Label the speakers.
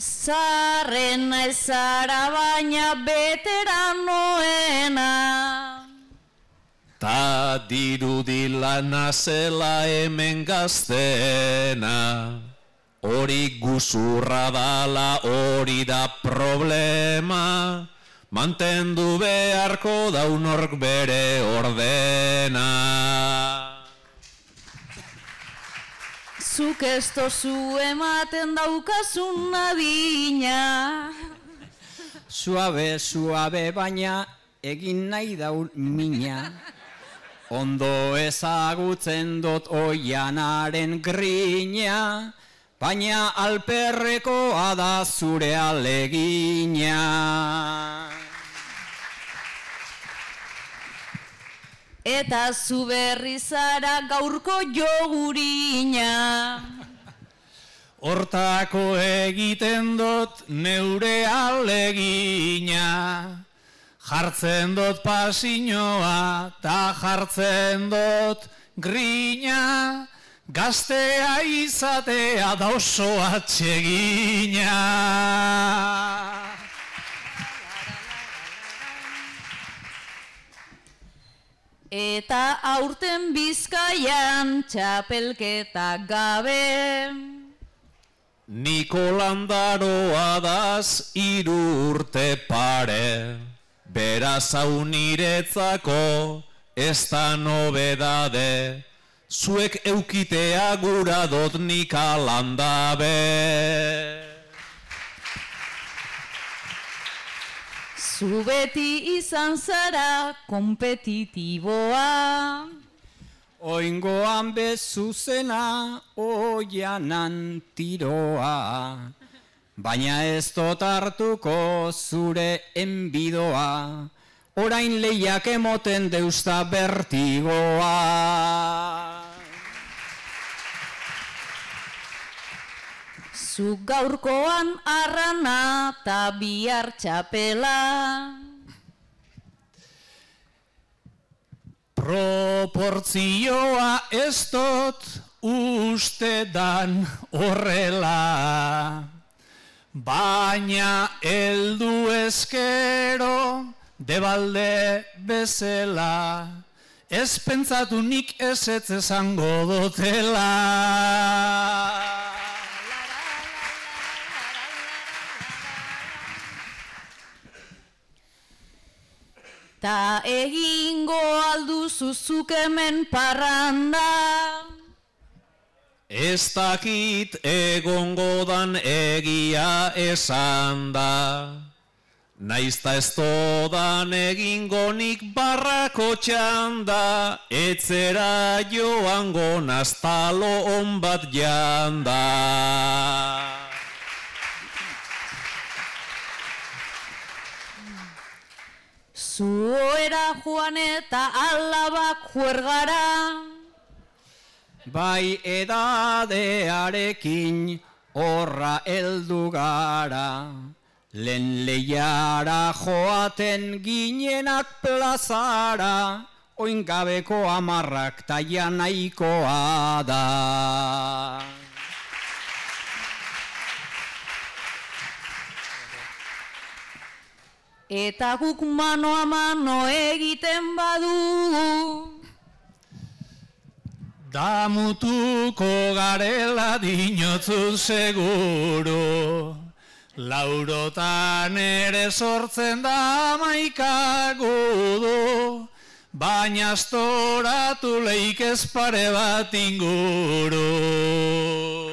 Speaker 1: Zarrena ezara baina veteranoena.
Speaker 2: Ta dirudila nazela hemen gaztena. Hori guzurra dala, hori da problema. Mantendu beharko daunork bere ordena.
Speaker 1: Zuk ez tozu ematen daukazun adina.
Speaker 3: Suabe, suabe, baina egin nahi daun mina. Ondo ezagutzen dut oianaren grina, baina alperrekoa da zure alegina.
Speaker 1: Eta zu berri zara gaurko jogurina.
Speaker 2: Hortako egiten dut neure alegina. Jartzen dut pasinoa ta jartzen dut grina. Gaztea izatea da oso atsegina.
Speaker 1: Eta aurten Bizkaian txapelketa gabe.
Speaker 2: Nikolandaroa daz 3 urte pare. Beraz hau niretzako ez da nobedade. Zuek eukitea gura dot nik alandabe.
Speaker 1: Zu beti izan zara kompetitiboa.
Speaker 3: Oingoan bezuzena oianan tiroa. Baina ez dut hartuko zure enbidoa. Orain lehiak emoten deusta bertigoa.
Speaker 1: Zu gaurkoan arrana ta bihar txapela.
Speaker 2: Proportzioa ez dut uste dan horrela. Baina heldu ezkero debalde bezala. Ez pentsatu nik ezetz esango dotela.
Speaker 1: Ta egingo alduzu zuk hemen parranda.
Speaker 2: Ez dakit egongo dan egia esan da. Naizta ez dodan egingo nik barrako txanda. Etzera joango naztalo on bat janda.
Speaker 1: Zuera joan eta alabak juergara.
Speaker 3: Bai edadearekin horra heldu gara. Lehen lehiara joaten ginenak plazara. Oingabeko 10 taia nahikoa da.
Speaker 1: Eta guk mano a mano egiten badugu.
Speaker 2: Damutuko garela dinotzu seguru. Laurotan ere sortzen da 11 gudu. Baina astoratu leik ez pare bat inguru.